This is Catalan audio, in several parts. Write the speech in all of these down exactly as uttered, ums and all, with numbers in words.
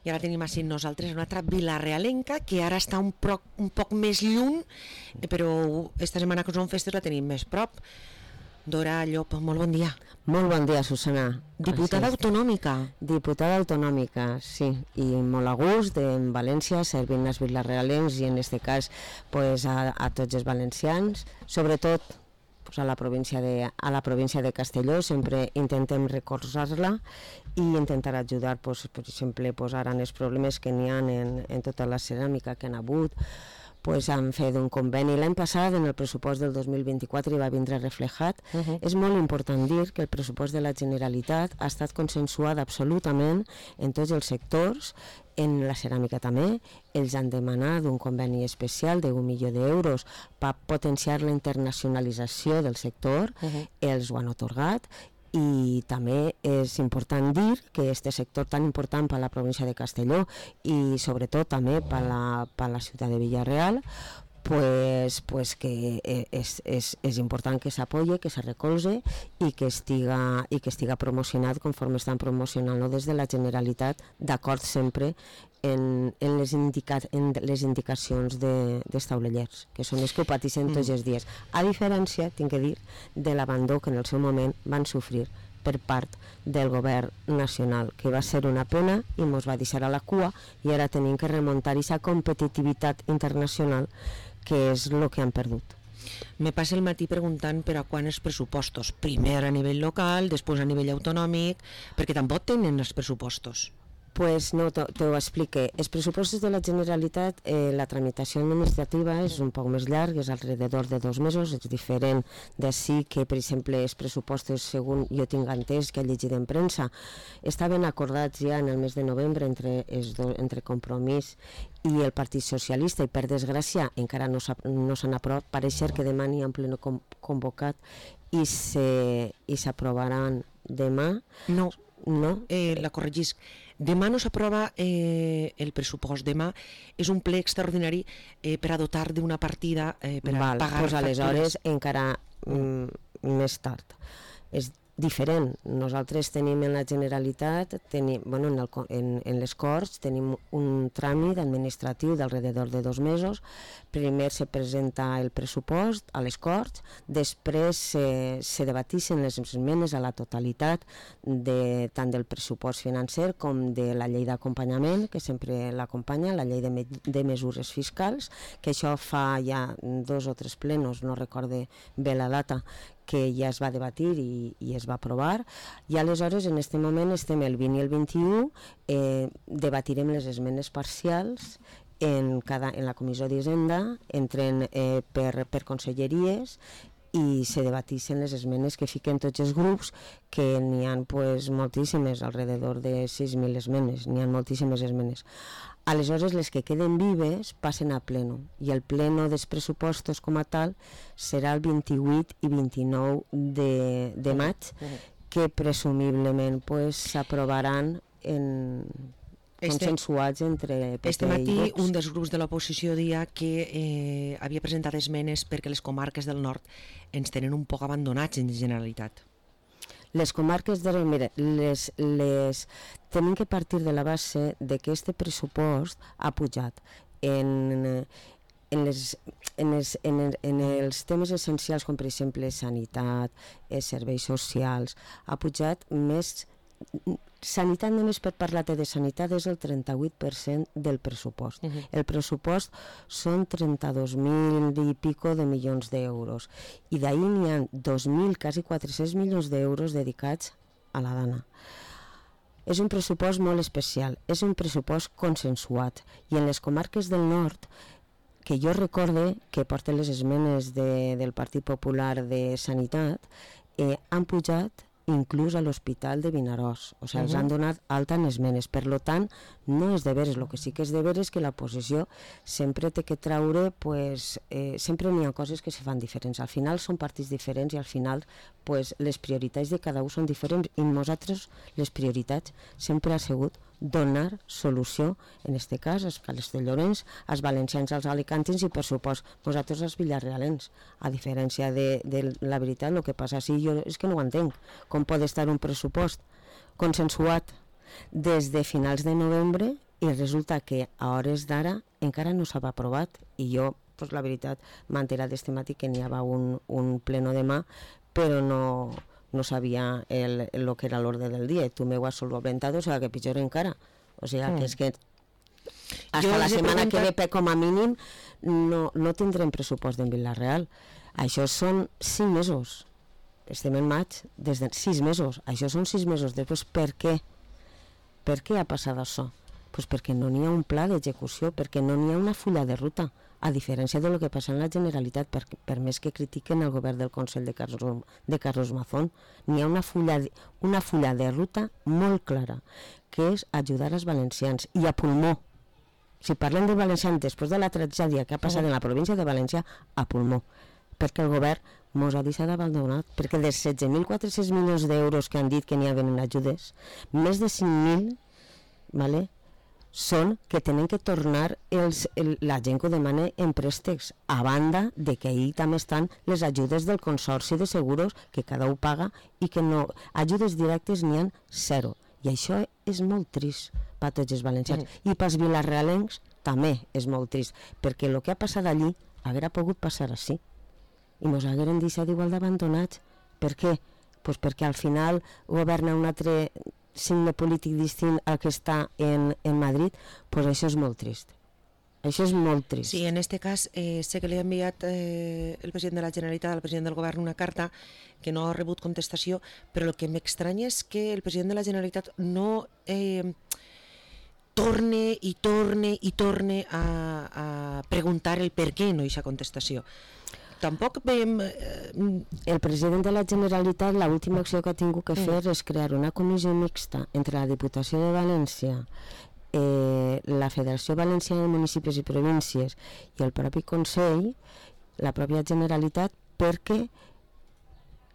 i ara tenim així nosaltres una altra vilarealenca que ara està un, pro, un poc més lluny, però esta setmana que són festes la tenim més prop. Dora Llop, molt bon dia. Molt bon dia, Susana. Diputada autonòmica. Diputada autonòmica, sí, i molt a gust en València, servint els vilarealencs i en aquest cas pues, a, a tots els valencians, sobretot pues, a, la província de, a la província de Castelló. Sempre intentem recolzar-la i intentar ajudar, pues, per exemple, pues, ara en els problemes que n'hi ha en, en tota la ceràmica que han hagut. Pues han fet un conveni l'any passat en el pressupost del dos mil vint-i-quatre i va vindre reflejat. Uh-huh. És molt important dir que el pressupost de la Generalitat ha estat consensuat absolutament en tots els sectors, en la ceràmica també. Ells han demanat un conveni especial d'un milió d'euros per potenciar la internacionalització del sector. Uh-huh. Ells ho han atorgat. I també és important dir que aquest sector tan important per a la província de Castelló i sobretot també per a la, per a la ciutat de Villarreal, pues, pues que és, és, és important que s'apoye, que se recolze i que estiga, i que estiga promocionat conforme estan promocionant-lo des de la Generalitat, d'acord sempre en, en, les, indica, en les indicacions de, dels taulellers, que són els que ho pateixen tots els dies. A diferència, tinc que dir, de l'abandó que en el seu moment van sofrir per part del govern nacional, que va ser una pena i ens va deixar a la cua, i ara tenim que remuntar aquesta competitivitat internacional que és el que han perdut. Me passa el matí preguntant per a quan els pressupostos, primer a nivell local, després a nivell autonòmic, perquè tampoc tenen els pressupostos. Pues no, te, te ho explique. Els pressupostos de la Generalitat, eh, la tramitació administrativa és un poc més llarg, és alrededor de dos mesos, és diferent d'ací que, per exemple, els pressupostos, segons jo tinc entès, que he llegit en premsa, estaven acordats ja en el mes de novembre entre, els do, entre Compromís i el Partit Socialista, i per desgràcia encara no s'han no aprovat. Pareix ser que demà n'hi ha en pleno convocat i s'aprovaran demà. No. No? Eh, la corregisc. Demà no s'aprova eh, el pressupost. Demà és un ple extraordinari eh, per a dotar d'una partida eh, per a Val, pagar pues factures. Aleshores encara mm, més tard. És diferent. Nosaltres tenim en la Generalitat, tenim, bueno, en, el, en, en les Corts, tenim un tràmit administratiu d'alrededor de dos mesos. Primer se presenta el pressupost a les Corts, després se, se debatixen les esmenes a la totalitat de, tant del pressupost financer com de la llei d'acompanyament, que sempre l'acompanya, la llei de, me, de mesures fiscals, que això fa ja dos o tres plenos, no recorde bé la data, que ja es va debatir i, i es va aprovar, i aleshores en aquest moment estem el vint i el vint-i-u, eh, debatirem les esmenes parcials en, cada, en la comissió d'Hisenda, entren eh, per, per conselleries i se debatixen les esmenes que fiquen tots els grups, que n'hi ha pues, moltíssimes, alrededor de sis mil esmenes, n'hi ha moltíssimes esmenes. Aleshores, les que queden vives passen a pleno, i el pleno dels pressupostos com a tal serà el vint-i-vuit i vint-i-nou de, de maig, que presumiblement s'aprovaran pues, en... consensuats entre P P este matí i Vox. Un dels grups de l'oposició deia que eh, havia presentat esmenes perquè les comarques del nord ens tenen un poc abandonats en Generalitat. Les comarques de... Mira, les, les, tenim que partir de la base de que este pressupost ha pujat en, en, les, en, els, en, el, en els temes essencials com per exemple sanitat, eh, serveis socials, ha pujat més... Sanitat, només per parlar-te de sanitat, és el trenta-vuit per cent del pressupost. Uh-huh. El pressupost són trenta-dos mil i pico de milions d'euros, i d'ahir n'hi ha dos mil, quasi quatre-cents milions d'euros dedicats a la dana. És un pressupost molt especial, és un pressupost consensuat, i en les comarques del nord, que jo recorde que porten les esmenes de, del Partit Popular de Sanitat, eh, han pujat inclús a l'Hospital de Vinaròs, o sigui, uh-huh. els han donat alta en esmenes, per lo tant no és de veres, el que sí que és de veres és que la posició sempre té que traure, pues, eh, sempre n'hi ha coses que se fan diferents, al final són partits diferents i al final pues, les prioritats de cada un són diferents, i nosaltres les prioritats sempre ha sigut donar solució, en aquest cas als castellonencs, als valencians, als alicantins i per supost nosaltres als villarrealens. A diferència de, de la veritat, el que passa sí, jo és que no ho entenc, com pot estar un pressupost consensuat des de finals de novembre i resulta que a hores d'ara encara no s'ha aprovat, i jo, pues, la veritat, m'he enterat d'este matí que n'hi havia un, un pleno demà, però no, no sabia el, el que era l'ordre del dia, i tu m'ho has solventat, o sigui que pitjor encara, o sigui que és que hasta la setmana que ve, com a mínim, no, no tindrem pressupost en Vila-real. Això són cinc mesos, estem en maig, des de sis mesos, això són sis mesos després. Per què? Per què ha passat això? Pues perquè no n'hi ha un pla d'execució, perquè no n'hi ha una fulla de ruta, a diferència del que passa en la Generalitat, per, per més que critiquen el govern del Consell de Carlos, de Carlos Mazón, n'hi ha una fulla, una fulla de ruta molt clara, que és ajudar els valencians, i a pulmó. Si parlem de valencians després de la tragèdia que ha passat en la província de València, a pulmó, perquè el govern mos ha deixat abandonat, perquè dels setze mil quatre-cents milions d'euros que han dit que n'hi havia en ajudes, més de cinc mil, vale, són que tenen que tornar els, el, la gent que ho demana en préstecs, a banda de que ahir també estan les ajudes del Consorci de Seguros, que cada un paga, i que no, ajudes directes n'hi ha zero, i això és molt trist per tots els valencians, mm. i pels vilarrealencs també és molt trist, perquè el que ha passat allí hauria pogut passar així, i ens hagueren deixat igual d'abandonats. Per què? Pues perquè al final governa un altre signe polític distint al que està en, en Madrid, pues això és molt trist. Això és molt trist. Sí, en este cas eh, sé que li ha enviat eh, el president de la Generalitat al president del govern una carta que no ha rebut contestació, però el que m'estranya és que el president de la Generalitat no eh, torne i torne i torne a, a preguntar el per què no hi ha contestació. Tampoc veiem... Eh... El president de la Generalitat, l'última acció que ha tingut que fer mm. és crear una comissió mixta entre la Diputació de València, eh, la Federació Valenciana de Municipis i Províncies i el propi Consell, la pròpia Generalitat, perquè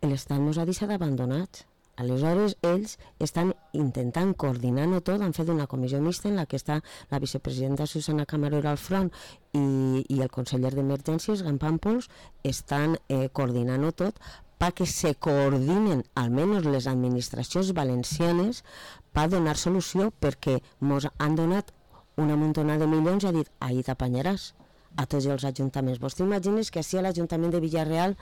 l'Estat ens ha deixat abandonats. Aleshores, ells estan intentant coordinar-ho tot, han fet una comissió mixta en la que està la vicepresidenta Susana Camarero al front i, i el conseller d'Emergències, Gan Pàmpols, estan eh, coordinant-ho tot perquè se coordinen almenys les administracions valencianes per donar solució, perquè ens han donat una muntona de milions i ha dit, ahí t'apanyaràs a tots els ajuntaments. Vos t'imagines que així a l'Ajuntament de Villarreal,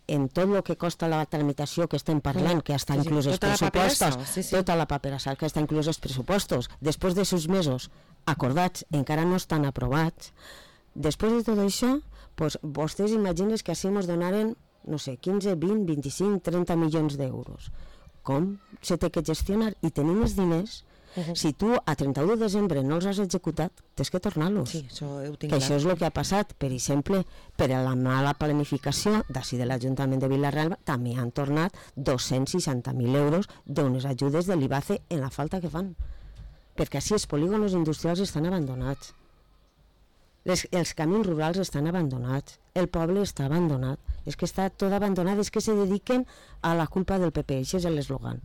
en tot el que costa la tramitació que estem parlant, que està sí, inclús els tota pressupostos, la sí, sí. tota la paperassa que està inclús els pressupostos, després de sis mesos acordats, encara no estan aprovats, després de tot això, pues, vostès imagines que així ens donaren, no sé, quinze, vint, vint-i-cinc, trenta milions d'euros. Com se té que gestionar? I tenim els diners. Uh-huh. Si tu a trenta-u de desembre no els has executat, tens que tornar-los. Sí, això ho tinc que clar. Això és el que ha passat. Per exemple, per a la mala planificació d'ací de l'Ajuntament de Vila-real també han tornat dos-cents seixanta mil euros d'unes ajudes de l'I B A C E en la falta que fan. Perquè així els polígons industrials estan abandonats. Les, els camins rurals estan abandonats. El poble està abandonat. És que està tot abandonat, és que se dediquen a la culpa del P P. Això és l'eslògan.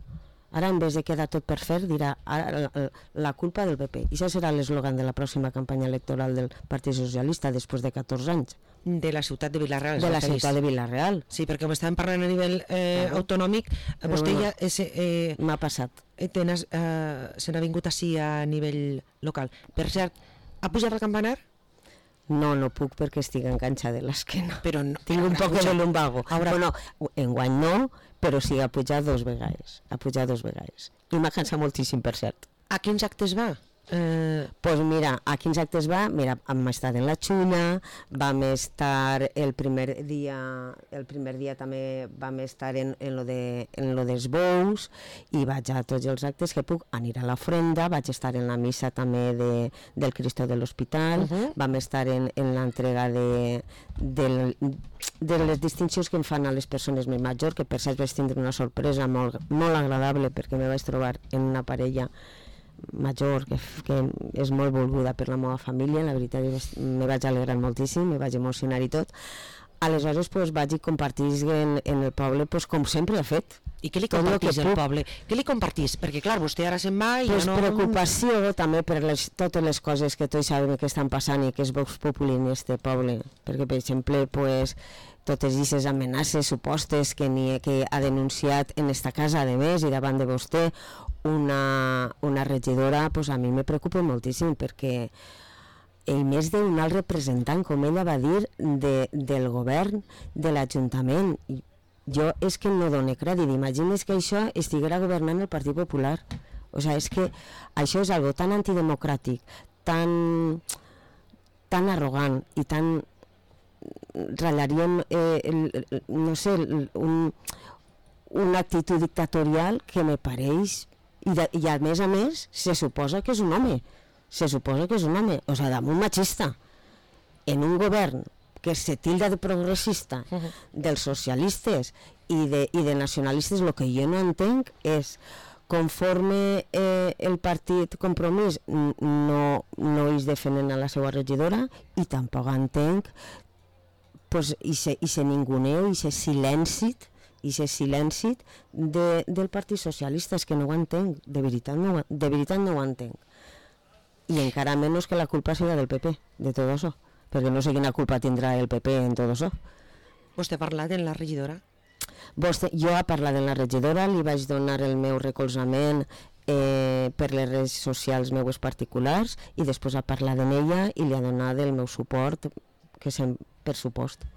Ara, en vez de quedar tot per fer, dirà ara, la, la culpa del P P. I això serà l'eslògan de la pròxima campanya electoral del Partit Socialista després de catorze anys. De la ciutat de Vila-real. De la ciutat de Vila-real. Sí, perquè com estàvem parlant a nivell eh, claro. autonòmic, Però vostè bueno, ja... Eh, m'ha passat. Eh, tenes, eh, se n'ha vingut així a nivell local. Per cert, ha pujat el campanar? No, no puc perquè estic enganxada de l'esquena. Però no, tinc un poc de lumbago. Ara... Bueno, enguany no, però sí, ha pujat dos vegades. Ha pujat dos vegades. I m'ha cansat moltíssim, per cert. A quins actes va? Eh... Pues mira, a quins actes va? Mira, vam estar en la Xuna, vam estar el primer dia, el primer dia també vam estar en, en, lo de, en lo dels bous, i vaig a tots els actes que puc, anar a l'ofrenda, vaig estar en la missa també de, del Cristo de l'Hospital, uh-huh. vam estar en, en l'entrega de, de, de les distincions que em fan a les persones més majors, que per cert vaig tindre una sorpresa molt, molt agradable, perquè me vaig trobar en una parella major que, que és molt volguda per la meva família. La veritat és que me vaig alegrar moltíssim, me vaig emocionar i tot. Aleshores pues, vaig compartir en, en el poble pues, com sempre ha fet. I què li compartís al poble? Què li compartís? Perquè clar, vostè ara se'n va i pues ja no... Preocupació també per les, totes les coses que tots sabem que estan passant i que és Vox Populi en este poble. Perquè per exemple pues, totes aquestes amenaces supostes que, ni, que ha denunciat en esta casa, a més, i davant de vostè, una, una regidora, pues a mi me preocupa moltíssim, perquè i més d'un alt representant, com ella va dir, de, del govern, de l'Ajuntament. Jo és que no dono crèdit. Imagines que això estiguera governant el Partit Popular. O sigui, és que això és algo tan antidemocràtic, tan, tan arrogant i tan... ratllaríem, eh, el, no sé, un, una actitud dictatorial que me pareix... I, de, I a més a més, se suposa que és un home. Se suposa que és un home, o sigui, damunt machista, en un govern que se tilda de progressista, uh-huh. dels socialistes i de, i de nacionalistes. El que jo no entenc és, conforme eh, el partit Compromís no, no és defenen a la seva regidora, i tampoc entenc pues, i se, i se ninguneu i se silencit i se silencit de, del Partit Socialista. És que no ho entenc, de veritat no, de veritat no ho entenc. I encara menys que la culpa sigui del P P, de tot això, perquè no sé quina culpa tindrà el P P en tot això. Vostè ha parlat en la regidora? Vostè, jo he parlat en la regidora, li vaig donar el meu recolzament eh, per les redes socials meues particulars, i després ha parlat en ella i li ha donat el meu suport, que és per supost.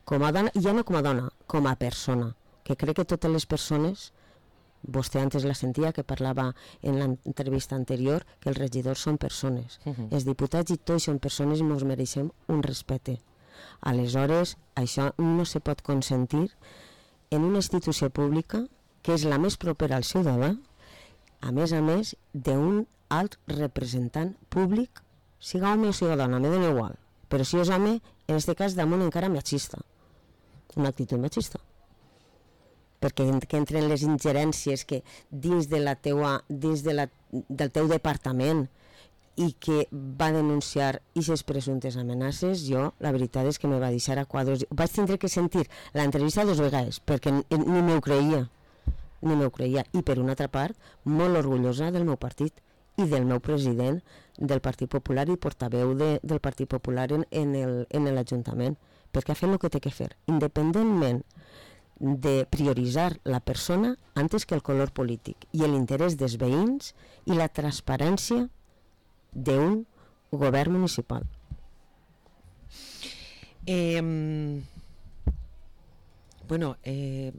Com a dona, i ja no com a dona, com a persona, que crec que totes les persones... Vostè antes la sentia que parlava en l'entrevista anterior que els regidors són persones. Uh-huh. Els diputats i tots són persones i ens mereixem un respecte. Aleshores, això no se pot consentir en una institució pública que és la més propera al ciutadà, a més a més d'un alt representant públic, siga home o siga dona, me dona igual. Però si és home, en aquest cas damunt encara machista. Una actitud machista. Perquè que entren les ingerències que dins, de la teua, dins de la, del teu departament i que va denunciar aquestes presumptes amenaces, jo la veritat és que me va deixar a quadros. Vaig tindre que sentir l'entrevista dues vegades perquè ni m'ho creia, ni m'ho creia. I per una altra part, molt orgullosa del meu partit i del meu president del Partit Popular i portaveu de, del Partit Popular en, en l'Ajuntament, perquè ha fet el que té que fer, independentment de prioritzar la persona antes que el color polític i l'interès dels veïns i la transparència d'un govern municipal. Eh, bueno, eh,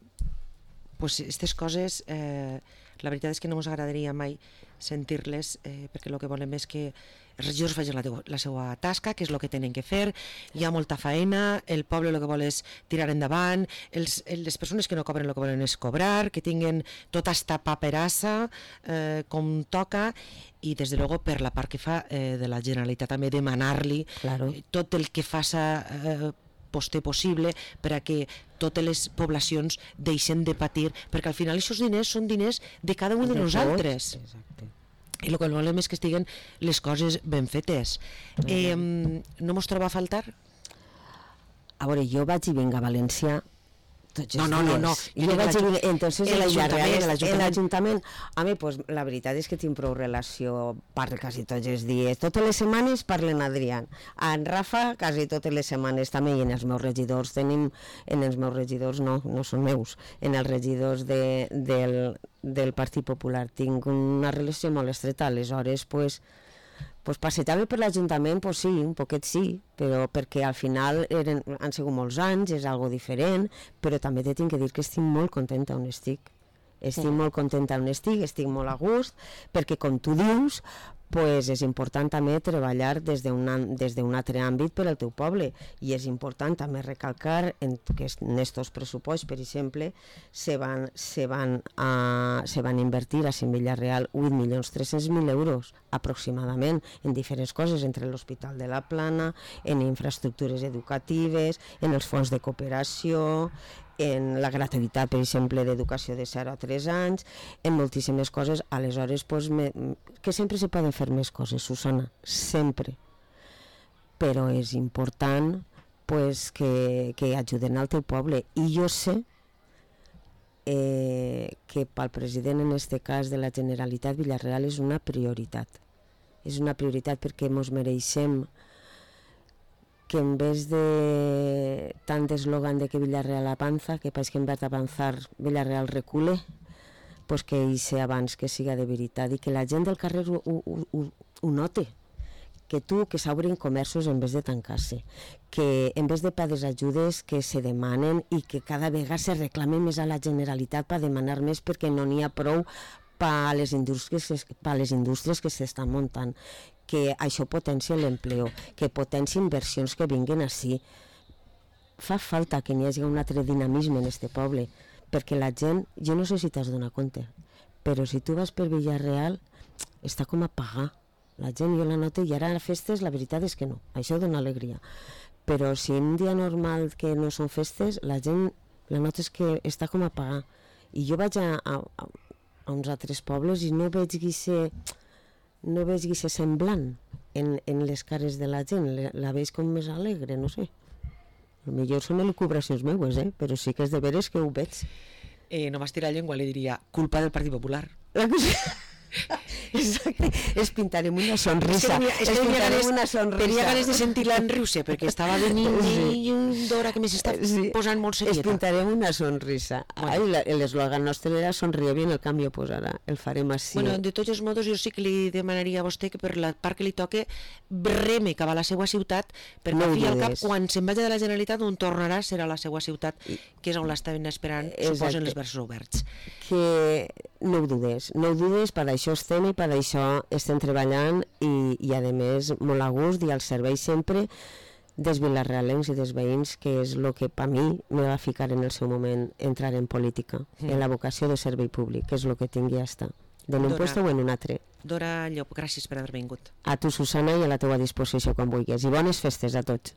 pues aquestes coses, eh, la veritat és que no ens agradaria mai sentir-les, eh, perquè el que volem és que els regidors facin la, la seva tasca, que és el que tenen que fer. Hi ha molta feina, el poble el que vol és tirar endavant, els, les persones que no cobren el que volen és cobrar, que tinguin tota esta paperassa eh, com toca, i des de luego per la part que fa eh, de la Generalitat també demanar-li claro. eh, tot el que faça eh, poster possible per a que totes les poblacions deixen de patir, perquè al final aquests diners són diners de cada un de, de nosaltres. Exacte. I el que volem és que estiguen les coses ben fetes. Eh, no mos troba a faltar? A veure, jo vaig i vinc a València tots no, els no, dies. No, no, jo vaig i vinc, entonces el l'Ajuntament, a mi, pues, la veritat és que tinc prou relació, parlo quasi tots els dies, totes les setmanes parlen Adrián, en Rafa quasi totes les setmanes també, i en els meus regidors tenim, en els meus regidors no, no són meus, en els regidors de, del, del Partit Popular tinc una relació molt estreta, aleshores, pues, pues passejar-me per l'Ajuntament, pues sí, un poquet sí, però perquè al final eren, han sigut molts anys, és algo diferent, però també te tinc que dir que estic molt contenta on estic. Estic sí. molt contenta on estic, estic molt a gust, perquè com tu dius, pues és important també treballar des d'un des d'un altre àmbit per al teu poble, i és important també recalcar en que en estos pressupostos, per exemple, se van, se van, a, se van invertir a Villarreal vuit milions tres-cents mil euros aproximadament en diferents coses, entre l'Hospital de la Plana, en infraestructures educatives, en els fons de cooperació, en la gratuïtat, per exemple, d'educació de zero a tres anys, en moltíssimes coses. Aleshores, pues, me, que sempre se poden fer més coses, Susana, sempre. Però és important pues, que, que ajuden al teu poble. I jo sé eh, que pel president, en aquest cas de la Generalitat, Villarreal és una prioritat. És una prioritat perquè ens mereixem que en vez de tant eslògan de que Villarreal avanza, que país que en vez de avanzar Villarreal recule, pues que hi sé abans que siga de veritat i que la gent del carrer ho, ho, ho, ho note, que tu que s'obrin comerços en vez de tancar-se, que en vez de per les ajudes que se demanen i que cada vegada se reclame més a la Generalitat per demanar més perquè no n'hi ha prou per a les indústries, per a les indústries que s'estan muntant, que això potencia l'empleo, que potencia inversions que vinguin així. Fa falta que n'hi hagi un altre dinamisme en este poble, perquè la gent, jo no sé si t'has donat compte, però si tu vas per Villarreal està com a pagar. La gent jo la noto i ara a festes la veritat és que no, això dona alegria. Però si un dia normal que no són festes, la gent la nota és que està com a pagar. I jo vaig a, a, a uns altres pobles i no veig guixe, no veig guixe semblant en, en les cares de la gent, la, la veig com més alegre, no sé. Potser són elucubracions meues, eh? Però sí que és de veres que ho veig. Eh, no m'estirar la llengua, li diria, culpa del Partit Popular. Exacte, es pintarem una sonrisa. És que tenia ganes, una sonrisa. Tenia ganes de sentir-la en riure, perquè estava venint sí. I d'hora que més està sí. Posant molt serieta. Es pintarem una sonrisa. Bueno. Ai, l'eslògan nostre era sonríe bien, el canvi ho posarà. El farem així. Bueno, de tots els modos, jo sí que li demanaria a vostè que per la part que li toque breme cap a la seva ciutat, perquè no al fi al cap, quan se'n vagi de la Generalitat, on tornarà serà la seva ciutat, que és on l'estaven esperant, suposen els braços oberts. Que no ho dudes, no ho dudes, per això estem i per això estem treballant i, i a més molt a gust i al servei sempre dels vilarrealencs i dels veïns, que és el que per mi me va ficar en el seu moment entrar en política, mm. en la vocació de servei públic, que és el que tingui a estar, en un lloc o en un altre. Dora Llop, gràcies per haver vingut. A tu, Susana, i a la teua disposició quan vulguis. I bones festes a tots.